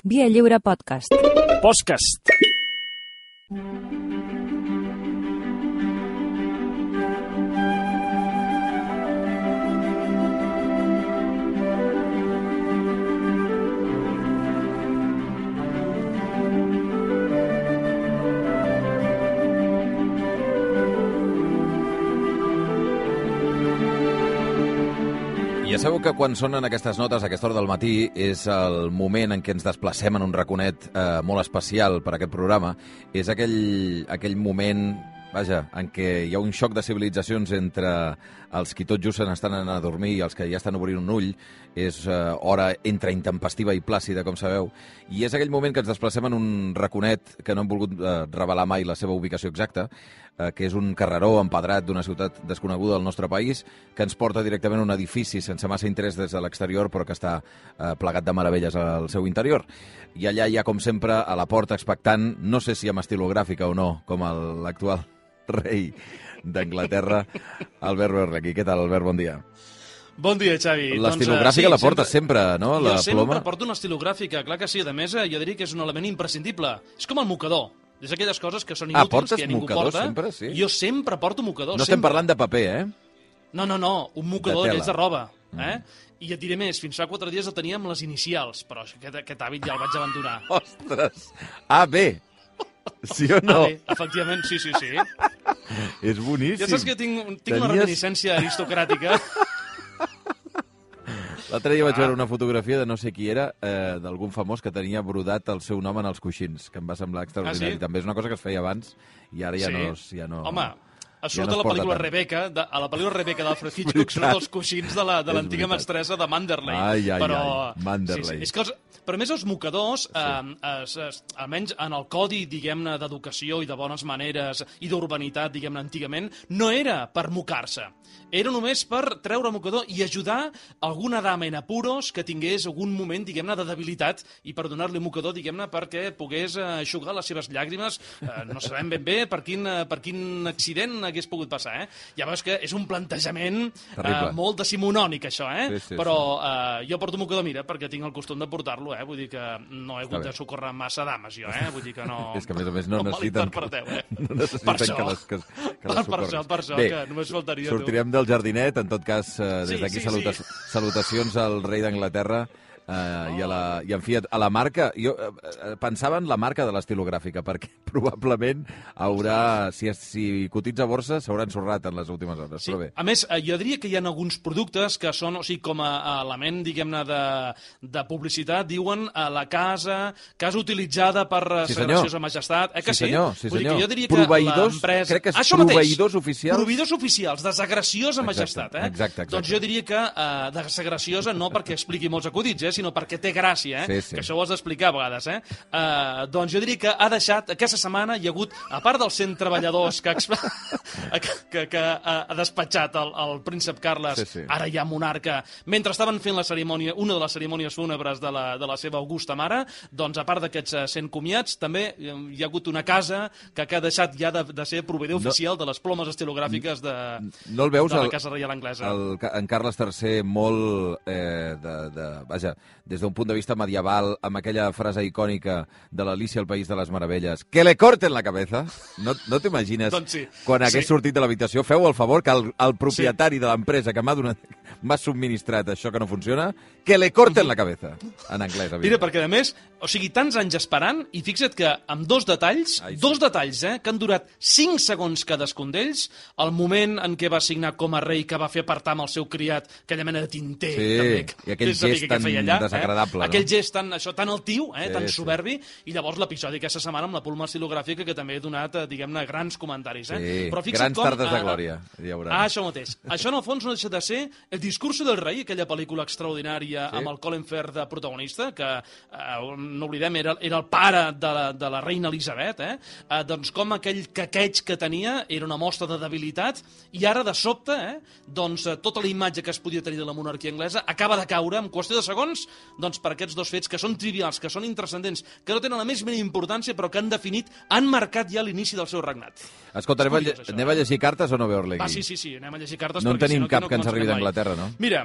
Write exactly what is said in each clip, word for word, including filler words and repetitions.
Via Lliure Podcast. Podcast. Ja sabeu que quan sonen aquestes notes a aquesta hora del matí és el moment en què ens desplacem en un raconet eh, molt especial per a aquest programa. És aquell, aquell moment, vaja, en què hi ha un xoc de civilitzacions entre els qui tot just se n'estan anant a dormir i els que ja estan obrint un ull. És eh, hora entre intempestiva i plàcida, com sabeu. I és aquell moment que ens desplacem en un raconet que no hem volgut eh, revelar mai la seva ubicació exacta, eh, que és un carreró empedrat d'una ciutat desconeguda del nostre país, que ens porta directament a un edifici sense massa interès des de l'exterior, però que està eh, plegat de meravelles al seu interior. I allà hi ha, com sempre, a la porta expectant, no sé si amb estilogràfica o no, com l'actual rei d'Anglaterra, Albert Berlequi. Què tal, Albert? Bon dia. Bon dia, Xavi. L'estilogràfica doncs, uh, sí, la porta sempre, sempre, no? La jo sempre ploma. porto una estilogràfica, clar que sí. A més, jo diria que és un element imprescindible. És com el mocador. És aquelles coses que són inútils, ah, que ja ningú porta. Sempre, sí? Jo sempre porto mocador. No sempre. Estem parlant de paper, eh? No, no, no. Un mocador d'aquells de, de roba. Mm. Eh? I et diré més, fins fa quatre dies el teníem les inicials, però aquest, aquest hàbit ja el vaig abandonar. Ostres! A, B! Sí o no? Ah, bé, efectivament, sí, sí, sí. És boníssim. Ja saps que tinc, tinc Tenies... una reminiscència aristocràtica. L'altre dia vaig veure una fotografia de no sé qui era, eh, d'algun famós que tenia brodat el seu nom en els coixins, que em va semblar extraordinari. Ah, sí? També és una cosa que es feia abans i ara ja sí. no... Ja no Home, a surt ja no a la pel·lícula tant. Rebecca, de, a la pel·lícula Rebecca d'Alfred Hitchcock, surt els coixins de l'antiga la, mestressa de Manderley. Ai, ai, però, ai, Manderley. Sí, sí. És que els, però a més els mocadors, sí. eh, es, es, almenys en el codi, diguem-ne, d'educació i de bones maneres i d'urbanitat, diguem-ne, antigament, no era per mocar-se. Era només per treure el mocador i ajudar alguna dama en apuros que tingués algun moment, diguem-ne, de debilitat i per donar-li un mocador, diguem-ne, perquè pogués eixugar les seves llàgrimes. Eh, no sabem ben bé per quin, per quin accident hagués pogut passar, eh? Ja veus que és un plantejament eh, molt decimonònic, això, eh? Sí, sí, però eh, jo porto mocador, mira, perquè tinc el costum de portar-lo, eh? Vull dir que no he hagut de socórrer massa dames, jo, eh? Vull dir que no... És que, a més a més, no, no necessiten... eh? No necessiten per això, que les, que, que les per, per això, per això, Bé, que només faltaria sortirem tu. del jardinet, en tot cas, eh, des sí, d'aquí sí, saluta sí. salutacions al rei d'Anglaterra. Uh, oh. i, a la, i en fi, a la marca jo uh, pensava en la marca de l'estilogràfica perquè probablement haurà si, si cotitza a borsa s'haurà ensorrat en les últimes hores, sí. Però bé. A més, jo diria que hi ha alguns productes que són, o sigui, com a element, diguem-ne, de, de publicitat, diuen a la casa, casa utilitzada per sí, Sa Graciosa Majestat, eh que sí? Sí, senyor, sí, senyor. Vull dir que jo diria que proveïdors, l'empresa... crec que és Això proveïdors mateix, oficials. Proveïdors oficials de Sa Graciosa Majestat, eh? Exacte, exacte. Doncs jo diria que uh, de Sa Graciosa no perquè expliqui molts acudits, eh? Sinó perquè té gràcia, eh? Sí, sí. Que això ho has d'explicar a vegades, eh? Uh, doncs jo diria que ha deixat, aquesta setmana hi ha hagut, a part dels cent treballadors que, que, que, que ha despatxat el, el príncep Carles, sí, sí. Ara ja monarca, mentre estaven fent la cerimònia, una de les cerimònies fúnebres de la, de la seva augusta mare, doncs a part d'aquests cent comiats, també hi ha hagut una casa que, que ha deixat ja de, de ser proveïdor no, oficial de les plomes estilogràfiques de, no el veus, de la el, Casa Reial Anglesa. El, en Carles tercer molt, eh, de, de, vaja, des d'un punt de vista medieval, amb aquella frase icònica de l'Alícia al País de les Meravelles, que le corten la cabeza. No, no t'imagines, doncs sí, quan hagués sí. sortit de l'habitació, feu el favor que el, el propietari sí. de l'empresa que m'ha donat, m'ha subministrat això que no funciona, que le corten la cabeza, en anglès. Evident. Mira, perquè a més, o sigui, tants anys esperant, i fixa't que amb dos detalls, Ai, sí. dos detalls, eh, que han durat cinc segons cadascun d'ells, el moment en què va signar com a rei, que va fer apartar amb el seu criat, aquella mena de tinter, sí, també, i aquell gest tan allà, desagradable. Eh? No? Aquell gest tan, això, tan altiu, eh, sí, tan sí. soberbi, i llavors l'episodi aquesta setmana amb la ploma estilogràfica, que també ha donat, diguem-ne, grans comentaris. Eh? Sí, Però grans com, tardes de eh, glòria. Hi haurà. Ah, això mateix. Això, en el fons, no deixa de ser El discurso del rei, aquella pel·lícula extraordinària sí. amb el Colin Firth de protagonista, que, eh, no oblidem, era, era el pare de la, de la reina Elisabet, eh? Eh, doncs com aquell caqueig que tenia era una mostra de debilitat, i ara, de sobte, eh, doncs, tota la imatge que es podia tenir de la monarquia anglesa acaba de caure en qüestió de segons doncs, per aquests dos fets que són trivials, que són intranscendents, que no tenen la més mínima importància, però que han definit, han marcat ja l'inici del seu regnat. Escolta, anem, curiós, a, anem a llegir cartes o no, Berlequi? Va, sí, sí, sí, anem a llegir cartes. No en tenim si no, cap no que ens arribi d'Anglaterra, no? Mira,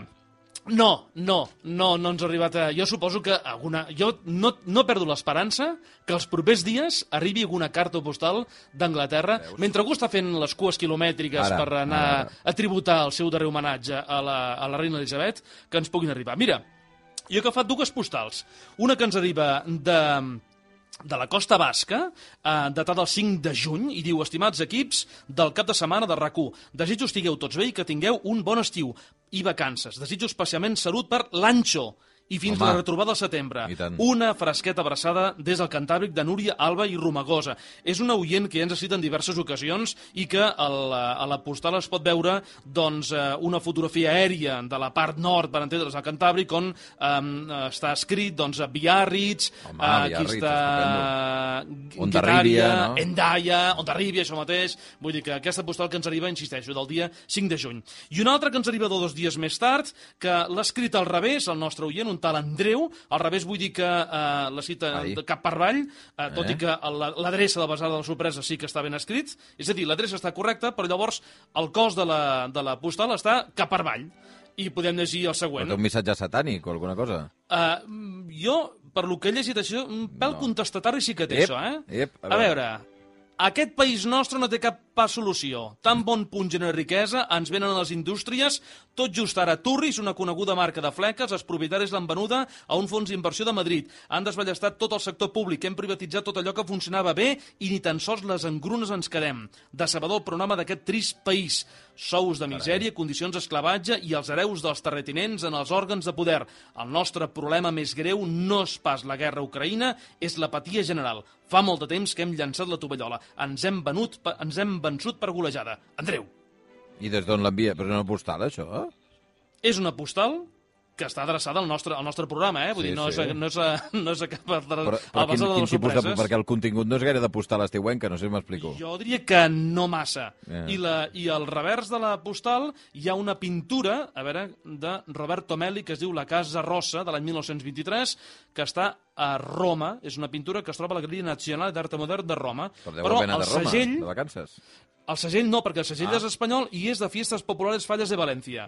No, no, no, no ens ha arribat a... Jo suposo que alguna... Jo no, no perdo l'esperança que els propers dies arribi alguna carta postal d'Anglaterra, mentre algú està fent les cues quilomètriques Ara, per anar ara. a tributar el seu darrer homenatge a la, a la reina Elisabet, que ens puguin arribar. Mira, jo he agafat dues postals. Una que ens arriba de... de la Costa Basca, eh, datada el cinc de juny, i diu: estimats equips del cap de setmana de RAC u, desitjo estigueu tots bé i que tingueu un bon estiu i vacances. Desitjo especialment salut per l'Anxo i fins Home, la retrobada al setembre. Una fresqueta abraçada des del Cantàbric de Núria, Alba i Romagosa. És una oient que ja ens ha citat en diverses ocasions i que a la, a la postal es pot veure doncs, una fotografia aèria de la part nord, per entendre's, al Cantàbric, on um, està escrit doncs, Biarritz, Home, uh, Biarritz, aquí està Ondarribia, no? Endaia, Ondarribia, això mateix. Vull dir que aquesta postal que ens arriba, insisteixo, del dia cinc de juny. I una altra que ens arriba dos dies més tard, que l'ha escrit al revés, el nostre oient, un tal Andreu, al revés vull dir que eh, la cita Ai. de cap per avall, eh, tot eh? i que l'adreça de la basada de la sorpresa sí que està ben escrit, és a dir, l'adreça està correcta, però llavors el cos de la, de la postal està cap per avall. I podem llegir el següent. Però té un missatge satànic o alguna cosa? Uh, jo, per lo que he llegit això, un pèl no. contestatari sí que té, ep, això, eh? Ep, a, a veure... Aquest país nostre no té cap pas solució. Tan bon punt genera riquesa, ens venen a les indústries, tot just ara Turris, una coneguda marca de fleques, els propietaris l'han venuda a un fons d'inversió de Madrid. Han desballestat tot el sector públic, hem privatitzat tot allò que funcionava bé i ni tan sols les engrunes ens quedem. Decebedor el programa d'aquest trist país. Sous de misèria, condicions d'esclavatge i els hereus dels terratinents en els òrgans de poder. El nostre problema més greu no és pas la guerra a Ucraïna, és l'apatia general. Fa molt de temps que hem llançat la tovallola. Ens hem, venut, ens hem vençut per golejada. Andreu. I des d'on l'envia? Però és una postal, això? És una postal que està adreçada al nostre, al nostre programa, eh? Vull sí, dir, no, sí. és, no, és, a, no és a cap... Però, però quin, quin tipus de... Perquè el contingut no és gaire de postal estiuenca, no sé si m'explico. Jo diria que no massa. Yeah. I, la, I al revers de la postal hi ha una pintura, a veure, de Roberto Melli, que es diu La Casa Rossa, de l'any mil nou-cents vint-i-tres, que està a Roma. És una pintura que es troba a la Galeria Nazionale d'Arte Modern de Roma. Però deu haver anat a Roma, segell, de vacances. El segell no, perquè el segell ah. és espanyol i és de Fiestas Populares Falles de València.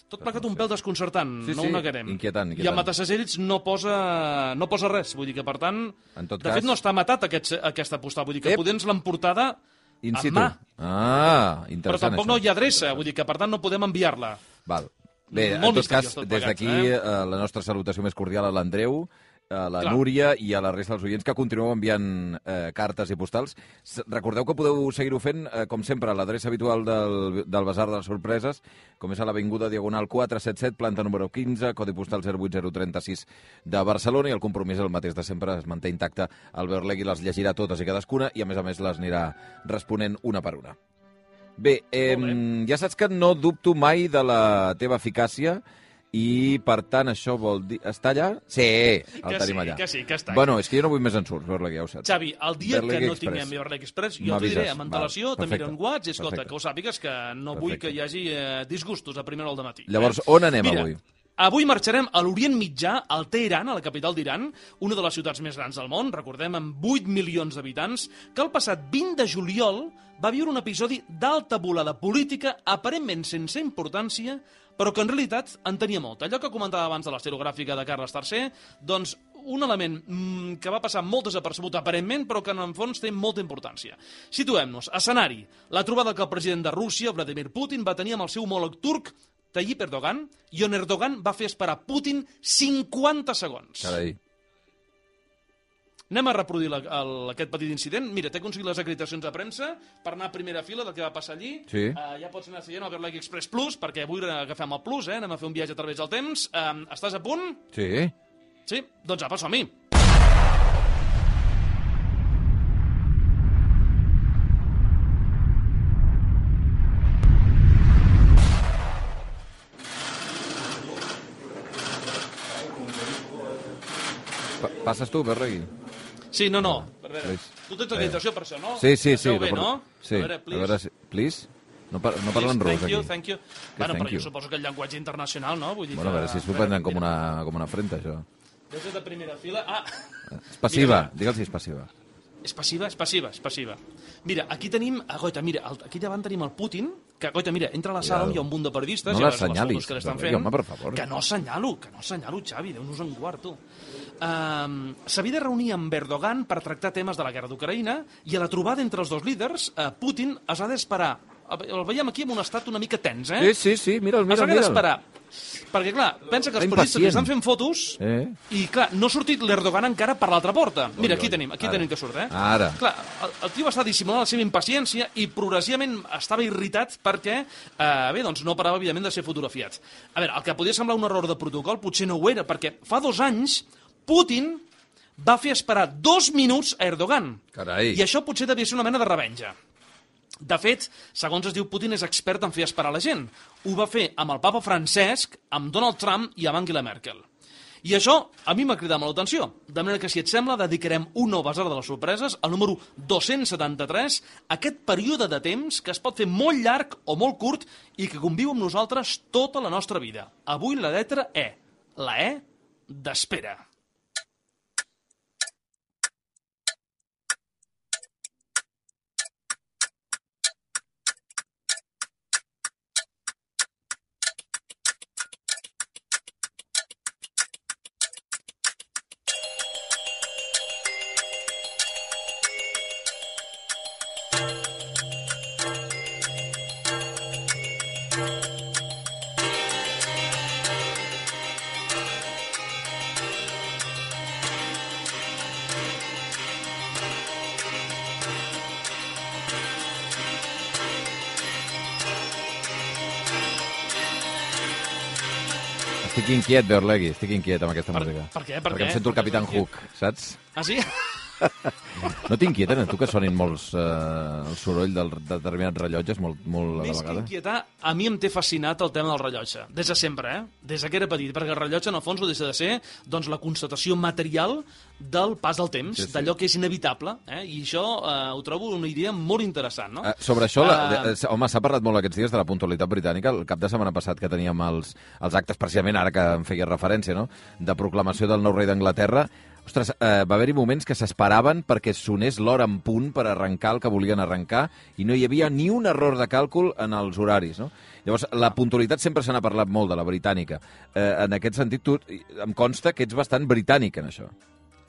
Tot plegat un pèl desconcertant, sí, no sí, ho negarem. Inquietant, inquietant. I el matasegells no posa, no posa res, vull dir que, per tant, en tot de cas... fet no està matat aquest, aquesta postal, vull dir que Ep. poder ens l'han portada in amb situ. mà. Ah, interessant, però tampoc això. no hi ha adreça, vull dir que, per tant, no podem enviar-la. Val. Bé, Molt en tot cas, tot des d'aquí, eh? la nostra salutació més cordial a l'Andreu, a la Clar. Núria i a la resta dels oients que continueu enviant eh, cartes i postals. Recordeu que podeu seguir-ho fent, eh, com sempre, a l'adreça habitual del, del Basar de les Sorpreses, com és a l'Avinguda Diagonal quatre set set, planta número quinze, codi postal zero vuit zero tres sis de Barcelona, i el compromís el mateix de sempre, es manté intacte. Albert Legui les llegirà totes i cadascuna i, a més a més, les anirà responent una per una. Bé, eh, ja saps que no dubto mai de la teva eficàcia i, per tant, això vol dir... Està allà? Sí, el que tenim sí, allà. que sí, que està. Bueno, és que jo no vull més ensurts, Berlegui, ja ho saps. Xavi, el dia Berlegui que no Express. tinguem Berlegui Express, jo t'ho diré amb antelació, Val, te miro en whats, i escolta, perfecte. que ho sàpigues que no Perfecte. vull que hi hagi eh, disgustos a primera hora del matí. Llavors, on anem Mira, avui? Avui marxarem a l'Orient Mitjà, al Teheran, a la capital d'Iran, una de les ciutats més grans del món, recordem, amb vuit milions d'habitants, que el passat vint de juliol va viure un episodi d'alta volada política, aparentment sense importància, però que en realitat en tenia molt. Allò que comentava abans de l'esterogràfica de Carles tercer, doncs un element mmm, que va passar molt desapercebut aparentment, però que en el fons té molta importància. Situem-nos. Escenari. La trobada que el president de Rússia, Vladimir Putin, va tenir amb el seu homòleg turc, Tayyip Erdogan, i on Erdogan va fer esperar Putin cinquanta segons. Carai. Anem a reproduir la, el, aquest petit incident. Mira, t'he aconseguit les acreditacions de premsa per anar a primera fila del que va passar allí. Sí. Uh, ja pots anar seguint el Berlegui Express Plus, perquè avui agafem el Plus, eh? Anem a fer un viatge a través del temps. Uh, estàs a punt? Sí. Sí? Doncs apa, som-hi. Pa passes tu, Berlegui? Sí, no, no. A veure, Please. tu tens acreditació per això, no? Sí, sí, sí. Bé, no? Sí. A veure, please. A veure, si... please? No, par no parlen Please, rus, thank you, aquí. thank you. Que Bueno, thank però you. jo suposo que el llenguatge internacional, no? Vull dir Bueno, a que... veure si s'ho prenen com una, com una afrenta, això. Des de primera fila... Ah! És passiva, Mira, digue'l si és passiva. És passiva, és passiva, és passiva. Mira, aquí tenim... Ah, goita, mira, aquí davant tenim el Putin, que, coita, mira, entra a la sala, hi ha un munt de periodistes, no i a les l'assenyalis, fotos que l'estan no, fent, home, per favor. que no assenyalo, que no assenyalo, Xavi, Déu-nos en guard, tu. Um, S'havia de reunir amb Erdogan per tractar temes de la guerra d'Ucraïna i a la trobada entre els dos líders, uh, Putin es va d'esperar. El veiem aquí en un estat una mica tens, eh? Sí, sí, sí, mira'l, mira'l. Es va haver d'esperar. Perquè, clar, pensa que els periodistes estan fent fotos eh? i, clar, no ha sortit l'Erdogan encara per l'altra porta. Mira, aquí oi, tenim, aquí ara. tenim que surt, eh? Ara. Clar, el, el tio està dissimulant la seva impaciència i progressivament estava irritat perquè, eh, bé, doncs no parava, evidentment, de ser fotografiat. A veure, el que podia semblar un error de protocol potser no ho era, perquè fa dos anys Putin va fer esperar dos minuts a Erdogan. Carai. I això potser devia ser una mena de revenja. De fet, segons es diu, Putin és expert en fer esperar la gent. Ho va fer amb el papa Francesc, amb Donald Trump i amb Angela Merkel. I això a mi m'ha cridat molt l'atenció. De manera que, si et sembla, dedicarem un nou basar de les sorpreses, al número dos-cents setanta-tres, aquest període de temps que es pot fer molt llarg o molt curt i que conviu amb nosaltres tota la nostra vida. Avui la lletra E. La E d'espera. Estic inquiet, Beorlegui, estic inquiet amb aquesta per, música. Per què? Per Perquè què? em sento el Capitán Hook, saps? Ah, sí? No t'inquieten, a tu, que sonin molts eh, el soroll del, de determinats rellotges molt, molt a la Més que vegada? inquietar, a mi em té fascinat el tema del rellotge. Des de sempre, eh? Des que era petit, perquè el rellotge, en el fons, ho deixa de ser doncs, la constatació material del pas del temps, sí, sí. d'allò que és inevitable, eh? I això eh, ho trobo una idea molt interessant, no? Uh, sobre això, la, Uh, home, s'ha parlat molt aquests dies de la puntualitat britànica. El cap de setmana passat que teníem els, els actes, precisament ara que em feia referència, no?, de proclamació del nou rei d'Anglaterra. Ostres, eh, va haver-hi moments que s'esperaven perquè sonés l'hora en punt per arrencar el que volien arrencar i no hi havia ni un error de càlcul en els horaris, no? Llavors, la puntualitat sempre se n'ha parlat molt, de la britànica. Eh, en aquest sentit, tu, em consta que ets bastant britànic en això.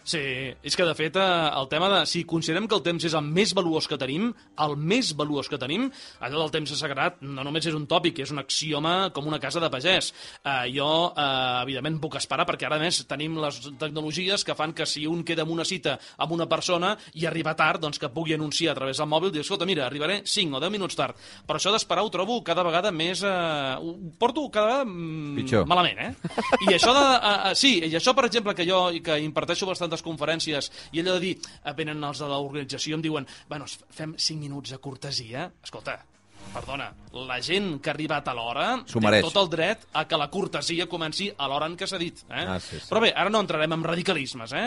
Sí, és que de fet el tema de... Si considerem que el temps és el més valuós que tenim, el més valuós que tenim, allò del temps és sagrat no només és un tòpic, és un axioma com una casa de pagès. Uh, jo, uh, evidentment, puc esperar, perquè ara, a més, tenim les tecnologies que fan que si un queda en una cita amb una persona i arriba tard, doncs que pugui anunciar a través del mòbil, dir, escolta, mira, arribaré cinc o deu minuts tard. Però això d'esperar ho trobo cada vegada més... Uh, ho porto cada vegada mm, malament, eh? I això de... Uh, uh, sí, i això, per exemple, que jo que imparteixo bastantes conferències i allò de dir, venen els de l'organització i em diuen, bueno, fem cinc minuts de cortesia. Escolta, perdona, la gent que ha arribat a l'hora té tot el dret a que la cortesia comenci a l'hora en què s'ha dit. Eh? Ah, sí, sí. Però bé, ara no entrarem en radicalismes. Eh?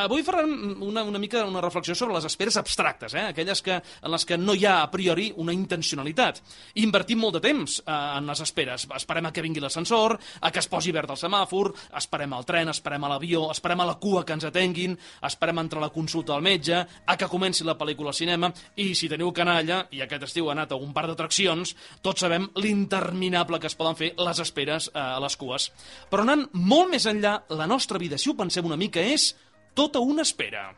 Avui farem una, una mica una reflexió sobre les esperes abstractes, eh? Aquelles que, en les que no hi ha a priori una intencionalitat. Invertim molt de temps eh, en les esperes. Esperem a que vingui l'ascensor, a que es posi verd el semàfor, esperem al tren, esperem a l'avió, esperem a la cua que ens atenguin, esperem a entrar a la consulta al metge, a que comenci la pel·lícula al cinema, i si teniu canalla, i aquest estiu ha anat a un par d'atraccions, tots sabem l'interminable que es poden fer les esperes eh, a les cues. Però anant molt més enllà, la nostra vida, si ho pensem una mica, és tota una espera.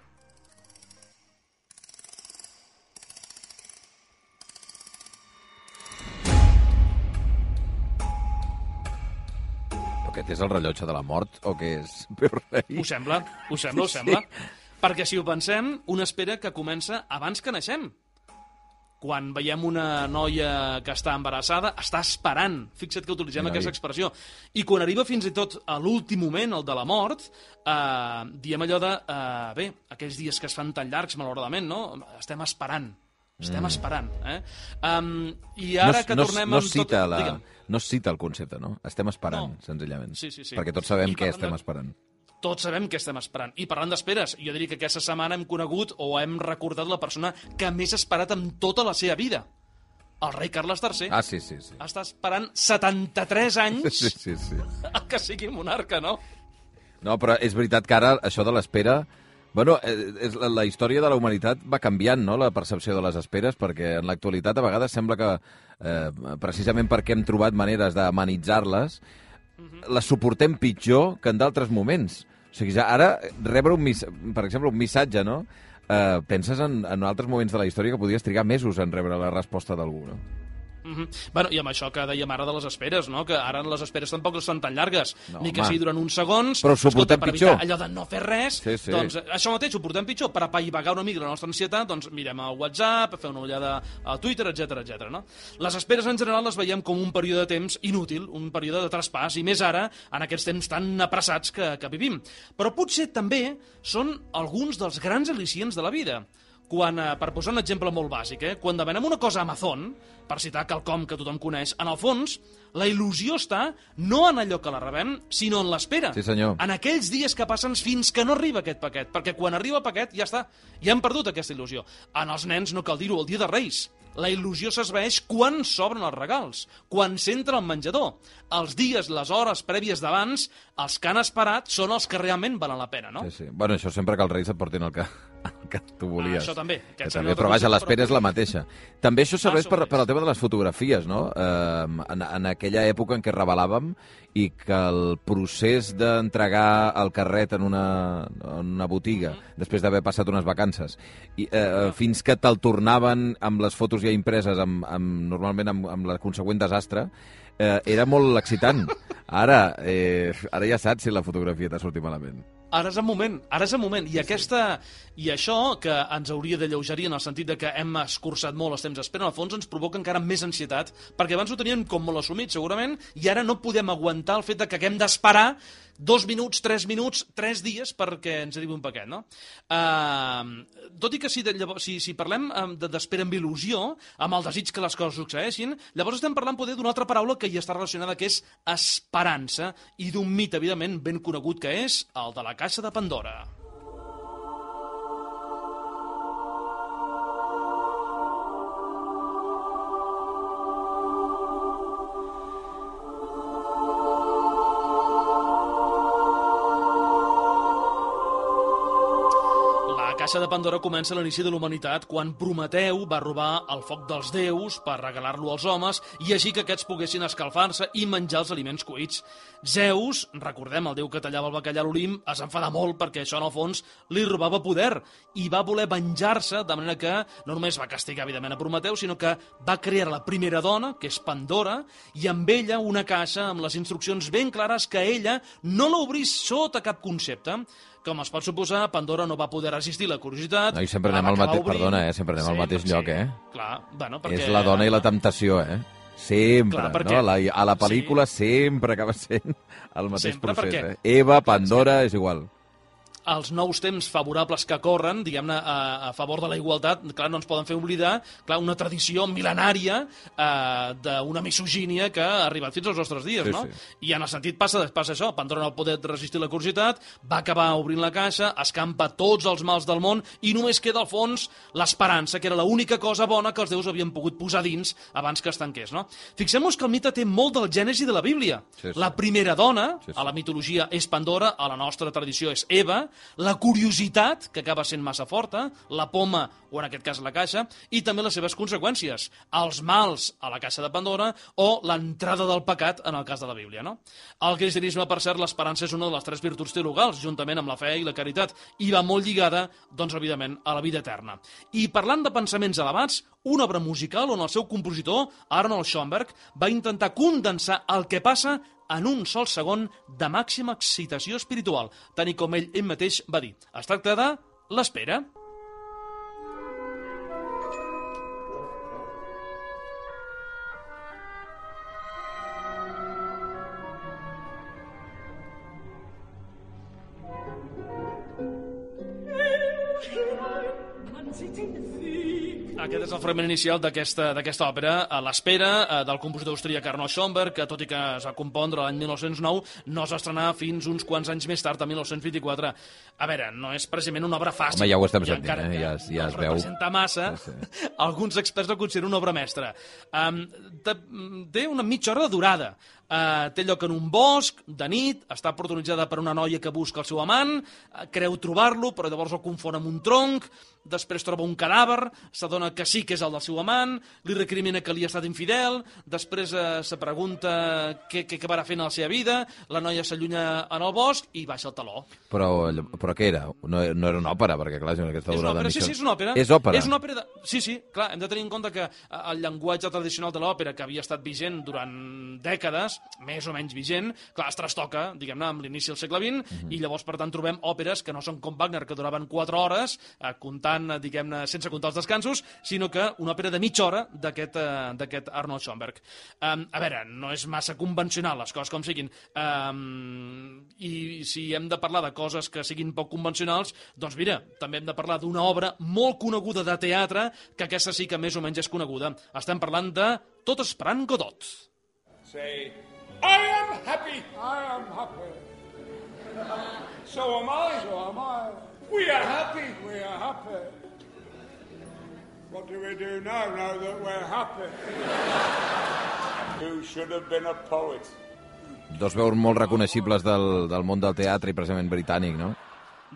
Aquest és el rellotge de la mort o què és? Ho sembla, ho sembla, ho sembla. Sí. Perquè si ho pensem, una espera que comença abans que naixem. Quan veiem una noia que està embarassada, està esperant. Fixa't que utilitzem Mira, aquesta expressió. I quan arriba fins i tot a l'últim moment, el de la mort, eh, diem allò de, eh, bé, aquells dies que es fan tan llargs, malauradament, no? Estem esperant. Estem mm. esperant. Eh? Um, I ara no, que tornem no, no amb cita tot... La, Digue'm. no es cita el concepte, no? Estem esperant, no. senzillament. Sí, sí, sí. Perquè tots sabem I què estem de... esperant. Tots sabem què estem esperant. I parlant d'esperes, jo diria que aquesta setmana hem conegut o hem recordat la persona que més ha esperat en tota la seva vida. El rei Carles tercer. Ah, sí, sí, sí. Està esperant setanta-tres anys sí, sí, sí. que sigui monarca, no? No, però és veritat que ara això de l'espera Bueno, eh, és, la, la història de la humanitat va canviant, no?, la percepció de les esperes, perquè en l'actualitat a vegades sembla que, eh, precisament perquè hem trobat maneres d'amenitzar-les, uh-huh. les suportem pitjor que en d'altres moments. O sigui, ja ara rebre, un mis... per exemple, un missatge, no?, eh, penses en, en altres moments de la història que podies trigar mesos en rebre la resposta d'algú, no? Mm-hmm. Bueno, i amb això que dèiem ara de les esperes, no? Que ara les esperes tampoc no són tan llargues, no, ni que home. sigui durant uns segons. Però ho suportem per pitjor. Allò de no fer res, sí, sí. doncs això mateix ho portem pitjor. Per apaivagar una mica la nostra ansietat, doncs mirem el WhatsApp, fer una ullada a Twitter, etcètera, etcètera. No? Les esperes en general les veiem com un període de temps inútil, un període de traspàs, i més ara, en aquests temps tan apressats que, que vivim. Però potser també són alguns dels grans al·licients de la vida. Quan, eh, per posar un exemple molt bàsic, eh, quan demanem una cosa a Amazon, per citar quelcom que tothom coneix, en el fons, la il·lusió està no en allò que la rebem, sinó en l'espera. Sí, senyor. En aquells dies que passen fins que no arriba aquest paquet, perquè quan arriba el paquet ja està, ja hem perdut aquesta il·lusió. En els nens no cal dir-ho, el dia de Reis. La il·lusió s'esvaeix quan s'obren els regals, quan s'entra al menjador. Els dies, les hores prèvies d'abans, els que han esperat són els que realment valen la pena, no? Sí, sí. Bueno, això sempre que els Reis et portin el que, el que tu volies. Ah, això també. Que també, però vaja, l'espera és la mateixa. També això serveix Ah, per, per al tema de les fotografies, no? Eh, en, en aquella època en què revelàvem i que el procés d'entregar el carret en una, en una botiga, mm-hmm. després d'haver passat unes vacances, i, eh, ah. fins que te'l tornaven amb les fotos ja impreses, amb, amb, normalment amb, amb la consegüent desastre, eh, era molt excitant. Ara, eh, ara ja saps si la fotografia t'ha sortit malament. Ara és el moment, ara és el moment. I, aquesta, I això, que ens hauria de lleugerir en el sentit de que hem escurçat molt els temps d'espera, al fons ens provoca encara més ansietat, perquè abans ho teníem com molt assumit, segurament, i ara no podem aguantar el fet de que haguem d'esperar dos minuts, tres minuts, tres dies perquè ens arribi un paquet, no? Uh, tot i que si, de, llavors, si, si parlem d'espera amb il·lusió, amb el desig que les coses succeeixin, llavors estem parlant poder d'una altra paraula que hi està relacionada, que és esperança, i d'un mite, evidentment, ben conegut, que és el de la caixa de Pandora. La caixa de Pandora comença a l'inici de la humanitat quan Prometeu va robar el foc dels déus per regalar-lo als homes i així que aquests poguessin escalfar-se i menjar els aliments cuits. Zeus, recordem, el déu que tallava el bacallà a l'Olimp, es enfada molt perquè això en el fons li robava poder i va voler venjar-se, de manera que no només va castigar evidentment a Prometeu, sinó que va crear la primera dona, que és Pandora, i amb ella una caixa amb les instruccions ben clares que ella no l'obrís sota cap concepte. Com es pot suposar, Pandora no va poder resistir la curiositat. No, i sempre anem al mateix, perdona, eh? Sempre anem al mateix sí, lloc, eh? Clar, bueno, perquè... És la dona i la temptació, eh? Sempre, clar, perquè... no? La, a la pel·lícula sí. sempre acaba sent el mateix sempre procés, perquè... eh? Eva, Pandora, és igual. Els nous temps favorables que corren, diguem-ne, a, a favor de la igualtat, clar, no ens poden fer oblidar, clar, una tradició mil·lenària eh, d'una misogínia que ha arribat fins als nostres dies, sí, no? Sí. I en el sentit passa, passa això, Pandora no va poder resistir la curiositat, va acabar obrint la caixa, escampa tots els mals del món i només queda al fons l'esperança, que era l'única cosa bona que els déus havien pogut posar dins abans que es tanqués, no? Fixem-nos que el mite té molt del Gènesi de la Bíblia. Sí, sí. La primera dona, sí, sí. a la mitologia és Pandora, a la nostra tradició és Eva, la curiositat, que acaba sent massa forta, la poma, o en aquest cas la caixa, i també les seves conseqüències, els mals a la caixa de Pandora o l'entrada del pecat en el cas de la Bíblia, no? Al cristianisme, per cert, l'esperança és una de les tres virtuts teologals, juntament amb la fe i la caritat, i va molt lligada, doncs, evidentment, a la vida eterna. I parlant de pensaments elevats, una obra musical on el seu compositor, Arnold Schoenberg, va intentar condensar el que passa en un sol segon de màxima excitació espiritual, tant i com ell ell mateix va dir. Es tracta de l'espera. Aquest és el fragment inicial d'aquesta d'aquesta òpera, a l'espera, del compositor austríac Arnold Schoenberg, que tot i que es va compondre l'any mil nou-cents nou, no es va estrenar fins uns quants anys més tard, a mil nou-cents vint-i-quatre. A veure, no és precisament una obra fàcil. Home, ja ho estem sentint, eh? Ja, ja es veu. No es representa massa. Sí, sí. Alguns experts el consideren una obra mestra. Um, té una mitja hora de durada. Uh, té lloc en un bosc, de nit, està protagonitzada per una noia que busca el seu amant, uh, creu trobar-lo, però llavors el confon amb un tronc, després troba un cadàver, s'adona que sí que és el del seu amant, li recrimina que li ha estat infidel, després eh, se pregunta què, què acabarà fent a la seva vida, la noia s'allunya en el bosc i baixa el taló. Però, però què era? No, no era una òpera, perquè clar, aquesta és una durada òpera, de sí, sí, és una òpera. És òpera? És una òpera de... Sí, sí, clar, hem de tenir en compte que el llenguatge tradicional de l'òpera, que havia estat vigent durant dècades, més o menys vigent, clar, es trastoca, diguem-ne, amb l'inici del segle vint, uh-huh. i llavors, per tant, trobem òperes que no són com Wagner, que duraven quatre hores, eh, comptant diguem-ne, sense comptar els descansos, sinó que una òpera de mitja hora d'aquest uh, d'aquest Arnold Schoenberg. Um, a veure, no és massa convencional, les coses com siguin, um, i si hem de parlar de coses que siguin poc convencionals, doncs mira, també hem de parlar d'una obra molt coneguda de teatre, que aquesta sí que més o menys és coneguda. Estem parlant de Tot esperant Godot. Say, I am happy, I am happy. So am I, so am I. We are happy, we are happy. What do we do now, now that we're happy? You should have been a poet. Dos veus molt reconeixibles del, del món del teatre i precisament britànic, no?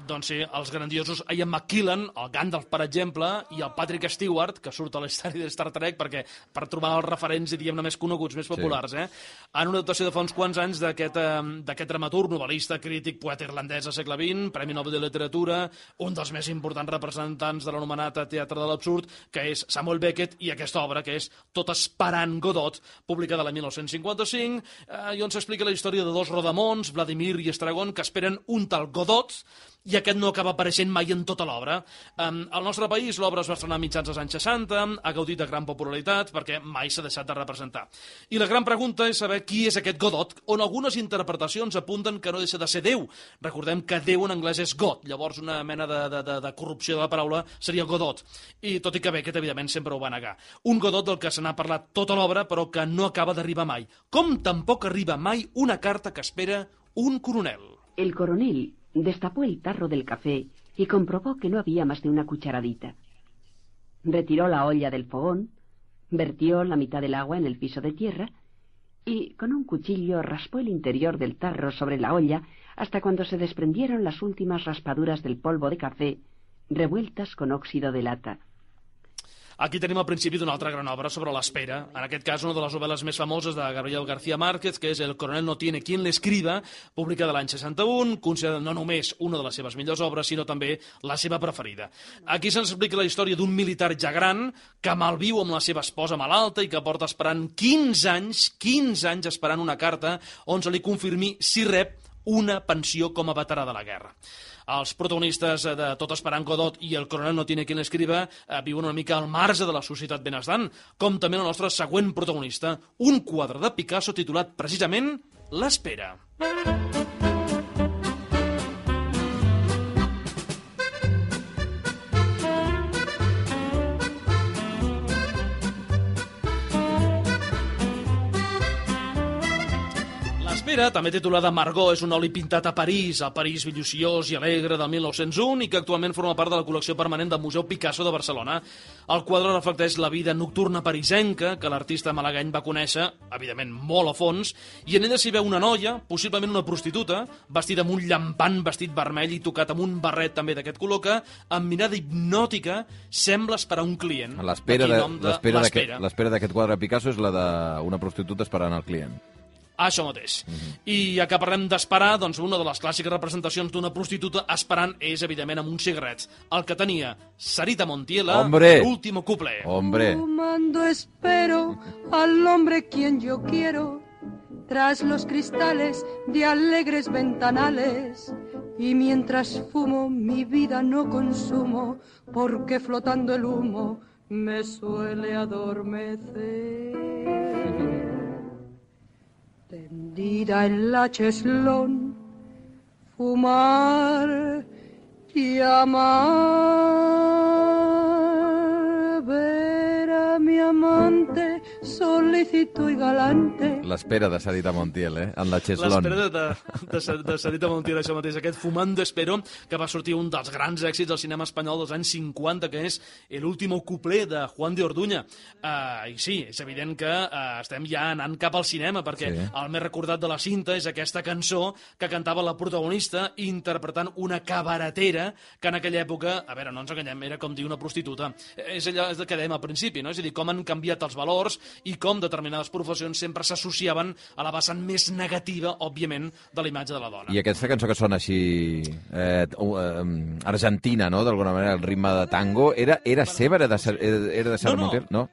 Doncs sí, els grandiosos Ian McKellen, el Gandalf, per exemple, i el Patrick Stewart, que surt a la història de Star Trek perquè per trobar els referents, diguem-ne, més coneguts, més populars, sí. eh? En una adaptació de fa uns quants anys d'aquest eh, dramaturg, novel·lista, crític, poeta irlandès del segle vint, Premi Nobel de Literatura, un dels més importants representants de l'anomenat teatre de l'absurd, que és Samuel Beckett, i aquesta obra, que és Tot esperant Godot, publicada l'any mil nou-cents cinquanta-cinc, eh, i on s'explica la història de dos rodamons, Vladimir i Estragon, que esperen un tal Godot, i aquest no acaba apareixent mai en tota l'obra. Um, al nostre país l'obra es va estrenar a mitjans dels anys seixanta, ha gaudit de gran popularitat perquè mai s'ha deixat de representar. I la gran pregunta és saber qui és aquest Godot, on algunes interpretacions apunten que no deixa de ser Déu. Recordem que Déu en anglès és God, llavors una mena de, de, de, de corrupció de la paraula seria Godot. I tot i que Beckett, evidentment, sempre ho va negar. Un Godot del que se n'ha parlat tota l'obra, però que no acaba d'arribar mai. Com tampoc arriba mai una carta que espera un coronel. El coronel destapó el tarro del café y comprobó que no había más de una cucharadita. Retiró la olla del fogón, vertió la mitad del agua en el piso de tierra y con un cuchillo raspó el interior del tarro sobre la olla hasta cuando se desprendieron las últimas raspaduras del polvo de café revueltas con óxido de lata. Aquí tenim el principi d'una altra gran obra sobre l'espera, en aquest cas una de les novel·les més famoses de Gabriel García Márquez, que és El coronel no tiene quien le escriba, publicada l'any seixanta-un, considerada no només una de les seves millors obres, sinó també la seva preferida. Aquí se'ns explica la història d'un militar ja gran que malviu amb la seva esposa malalta i que porta esperant quinze anys, quinze anys esperant una carta on se li confirmi si rep una pensió com a veterà de la guerra. Els protagonistes de Tot esperant Godot i El coronel no tiene quien l'escriba eh, viuen una mica al marge de la societat benestant, com també el nostre següent protagonista, un quadre de Picasso titulat precisament L'espera. L'espera, també titulada Margot, és un oli pintat a París, a París villuciós i alegre del mil nou-cents un i que actualment forma part de la col·lecció permanent del Museu Picasso de Barcelona. El quadre reflecteix la vida nocturna parisenca que l'artista malagany va conèixer, evidentment molt a fons, i en ella s'hi veu una noia, possiblement una prostituta, vestida amb un llampant vestit vermell i tocat amb un barret també d'aquest color que, amb mirada hipnòtica, sembla esperar un client. L'espera d'aquest quadre de Picasso és la d'una prostituta esperant el client. Això mateix. Mm-hmm. I ja que parlem d'esperar, doncs una de les clàssiques representacions d'una prostituta esperant és, evidentment, amb uns cigarrets. El que tenia Sarita Montiela, l'último cuplé. Hombre. Fumando espero al hombre quien yo quiero, tras los cristales de alegres ventanales, y mientras fumo mi vida no consumo, porque flotando el humo me suele adormecer. Tendida en la cheslón, fumar y amar, ver a mi amante solita solícito y galante. L'espera de Sarita Montiel, eh? En la Cheslón. L'espera de, de, de Sarita Montiel, això mateix, aquest Fumando Espero, que va sortir un dels grans èxits del cinema espanyol dels anys cinquanta, que és El último cuplé de Juan de Orduña. Uh, I sí, és evident que uh, estem ja anant cap al cinema, perquè sí. El més recordat de la cinta és aquesta cançó que cantava la protagonista interpretant una cabaretera que en aquella època, a veure, no ens enganyem, era com dir una prostituta. És allò que dèiem al principi, no? És a dir, com han canviat els valors i com determinades professions sempre s'associaven a la vessant més negativa, òbviament, de la imatge de la dona. I aquesta cançó que sona així eh, uh, argentina, no?, d'alguna manera, el ritme de tango, era, era seva, era de, era de Sara no, no. Montiel? No.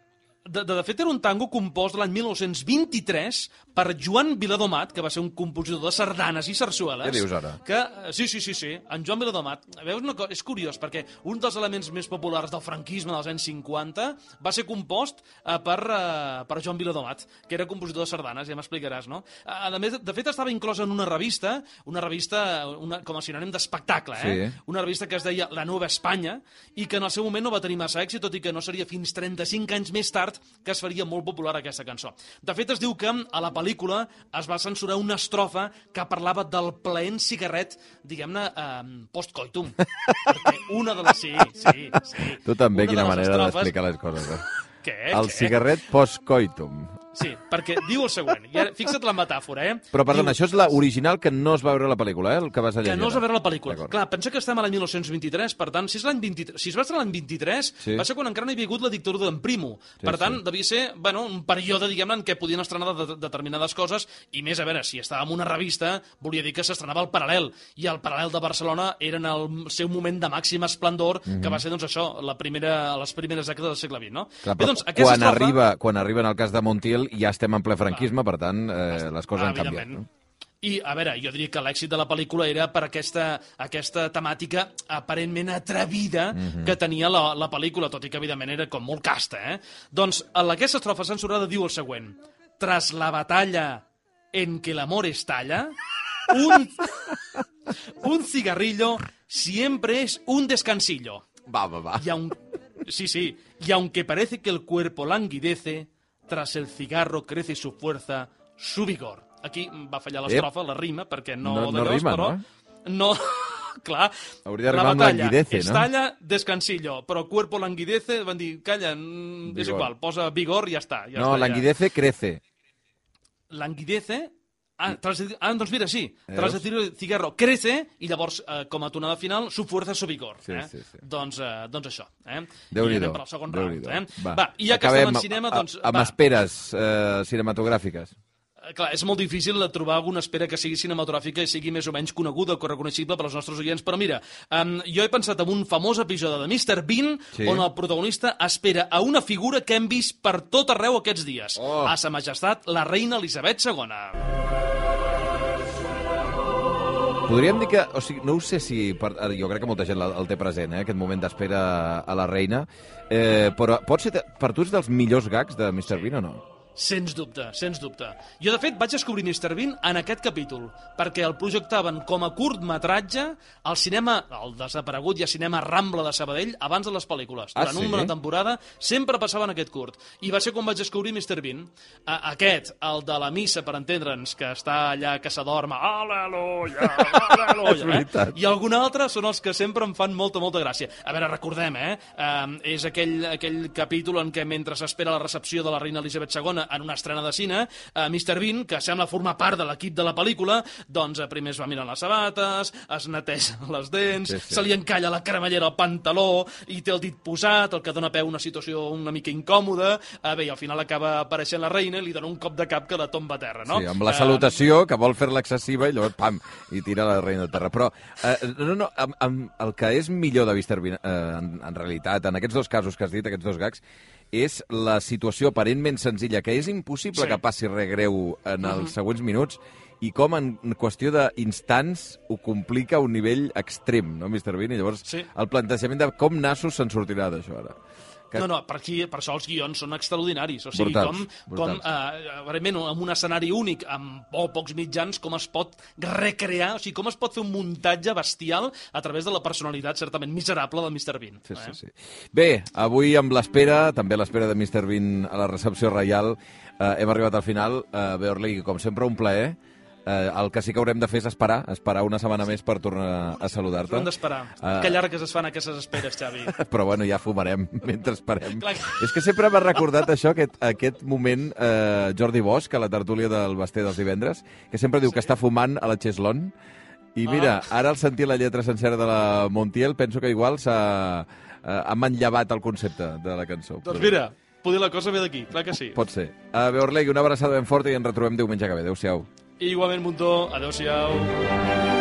De, de, de fet, era un tango compost l'any mil nou-cents vint-i-tres per Joan Viladomat, que va ser un compositor de sardanes i sarsueles. Què dius ara? Que, sí, sí, sí, sí, en Joan Viladomat. Veus una cosa? És curiós, perquè un dels elements més populars del franquisme dels anys cinquanta va ser compost eh, per, eh, per Joan Viladomat, que era compositor de sardanes, ja m'explicaràs, no? A més, de fet, estava inclosa en una revista, una revista una, com a sinònim d'espectacle, eh? Sí. Una revista que es deia La Nova Espanya, i que en el seu moment no va tenir massa èxit, tot i que no seria fins trenta-cinc anys més tard que es faria molt popular aquesta cançó. De fet, es diu que a la pel·lícula es va censurar una estrofa que parlava del plaent cigarret, diguem-ne, eh, post-coitum. Perquè una de les... Sí, sí, sí. Tu també, una quina de manera estrofes... d'explicar les coses. Eh? Què? El Què? cigarret post-coitum. Sí, perquè diu el següent. I ara, fixa't la metàfora, eh? Però, perdona, diu... això és l'original que no es va veure a la pel·lícula, eh? El que vas a llegir. Que no es va veure la pel·lícula. Clar, pensa que estem a l'any mil nou-cents vint-i-tres, per tant, si, és l'any vint-i-tres, si es va estar l'any vint-i-tres, sí. Va ser quan encara no hi havia hagut la dictadura d'en Primo. Sí, per tant, sí. Devia ser, bueno, un període, diguem-ne, en què podien estrenar de, de, determinades coses, i més, a veure, si estava en una revista, volia dir que s'estrenava al Paral·lel, i el Paral·lel de Barcelona era en el seu moment de màxim esplendor, mm -hmm. que va ser, doncs, això, la primera, les primeres dècades del segle vint, no? Clar, Bé, doncs, quan, estrofa... arriba, quan arriba en el cas de Montiel ja estem en ple franquisme, per tant, eh, les coses han canviat. No? I, a veure, jo diria que l'èxit de la pel·lícula era per aquesta, aquesta temàtica aparentment atrevida mm-hmm. que tenia la, la pel·lícula, tot i que, evidentment, era com molt casta, eh? Doncs, aquesta estrofa censurada diu el següent. Tras la batalla en que l'amor estalla, un, un cigarrillo siempre es un descansillo. Va, va, va. Y aun, sí, sí. Y aunque parece que el cuerpo languidece, tras el cigarro crece su fuerza, su vigor. Aquí va fallar l'estrofa, la rima, perquè no... No, no rima, però, no? No, clar. Hauria la d'arribar amb batalla languidece, no? estalla, descansillo, però cuerpo languidece, van dir, calla, vigor. És igual, posa vigor i ja està. Ja no, està, languidece, ja. crece. Languidece... Ah, tras de, ah, doncs mira, sí. Tras el cigarro crece i llavors, eh, com a tonada final, su fuerza, su vigor. Sí, eh? sí, sí. Doncs, eh, doncs això. Eh? Déu-n'hi-do. I anem per al segon round. Eh? Va. Va, i ja que Acabem estem en cinema, doncs... Amb va. esperes eh, cinematogràfiques. Clar, és molt difícil de trobar alguna espera que sigui cinematogràfica i sigui més o menys coneguda o reconeixible per als nostres oients, però mira, um, jo he pensat en un famós episodi de mister Bean sí. on el protagonista espera a una figura que hem vist per tot arreu aquests dies, oh. a sa majestat la reina Elisabet segona. Podríem dir que, o sigui, no ho sé si, per, jo crec que molta gent el té present, eh, aquest moment d'espera a la reina, eh, però pot ser, per tu és dels millors gags de mister Bean o no? Sens dubte, sens dubte. Jo, de fet, vaig descobrir mister Bean en aquest capítol, perquè el projectaven com a curtmetratge al cinema, el desaparegut i a cinema Rambla de Sabadell, abans de les pel·lícules. Ah, Durant sí? una temporada sempre passaven aquest curt. I va ser quan vaig descobrir mister Bean. A aquest, el de la missa, per entendre'ns, que està allà, que s'adorma, aleluia, aleluia, eh? I algun altre són els que sempre em fan molta, molta gràcia. A veure, recordem, eh? Um, és aquell, aquell capítol en què, mentre s'espera la recepció de la reina Elisabet segona en una estrena de cine, eh, mister Bean, que sembla formar part de l'equip de la pel·lícula, doncs eh, primer es va mirant les sabates, es neteja les dents, sí, sí. se li encalla la cremallera al pantaló i té el dit posat, el que dona peu a una situació una mica incòmoda, eh, bé, i al final acaba apareixent la reina i li dona un cop de cap que la tomba a terra, no? Sí, amb la salutació, eh... que vol fer-la excessiva i llavors, pam, i tira la reina a terra. Però, eh, no, no, amb, amb el que és millor de mister Bean, eh, en, en realitat, en aquests dos casos que has dit, aquests dos gags, és la situació aparentment senzilla, que és impossible sí. que passi res greu en els uh-huh. següents minuts, i com en qüestió d'instants ho complica a un nivell extrem, no, mister Bean? I llavors sí. el plantejament de com nassos se'n sortirà d'això ara. Que... No, no, per, aquí, per això els guions són extraordinaris. O sigui, brutals, com, brutals. com eh, realment, amb un escenari únic, amb oh, pocs mitjans, com es pot recrear, o sigui, com es pot fer un muntatge bestial a través de la personalitat certament miserable del mister Bean. Sí, eh? sí, sí. Bé, avui amb l'espera, també l'espera de mister Bean a la recepció reial, eh, hem arribat al final. Eh, Beorli, com sempre, un plaer. Eh, el que sí que haurem de fer és esperar, esperar una setmana més per tornar a saludar-te. Hem d'esperar. Uh, que llargues es fan aquestes esperes, Xavi. Però bueno, ja fumarem mentre esperem. Clar. És que sempre m'ha recordat això, aquest, aquest moment, eh, Jordi Bosch, a la tertúlia del Basté dels divendres, que sempre diu sí? que està fumant a la Cheslon. I mira, ah. ara al sentir la lletra sencera de la Montiel, penso que igual s'ha eh, ha manllevat el concepte de la cançó. Doncs mira, poder la cosa ve d'aquí, clar que sí. Pot ser. Uh, Beorlegui, una abraçada ben forta i ens retrobem diumenge que ve. Adéu-siau. I igualment, Muntó, adéu-siau.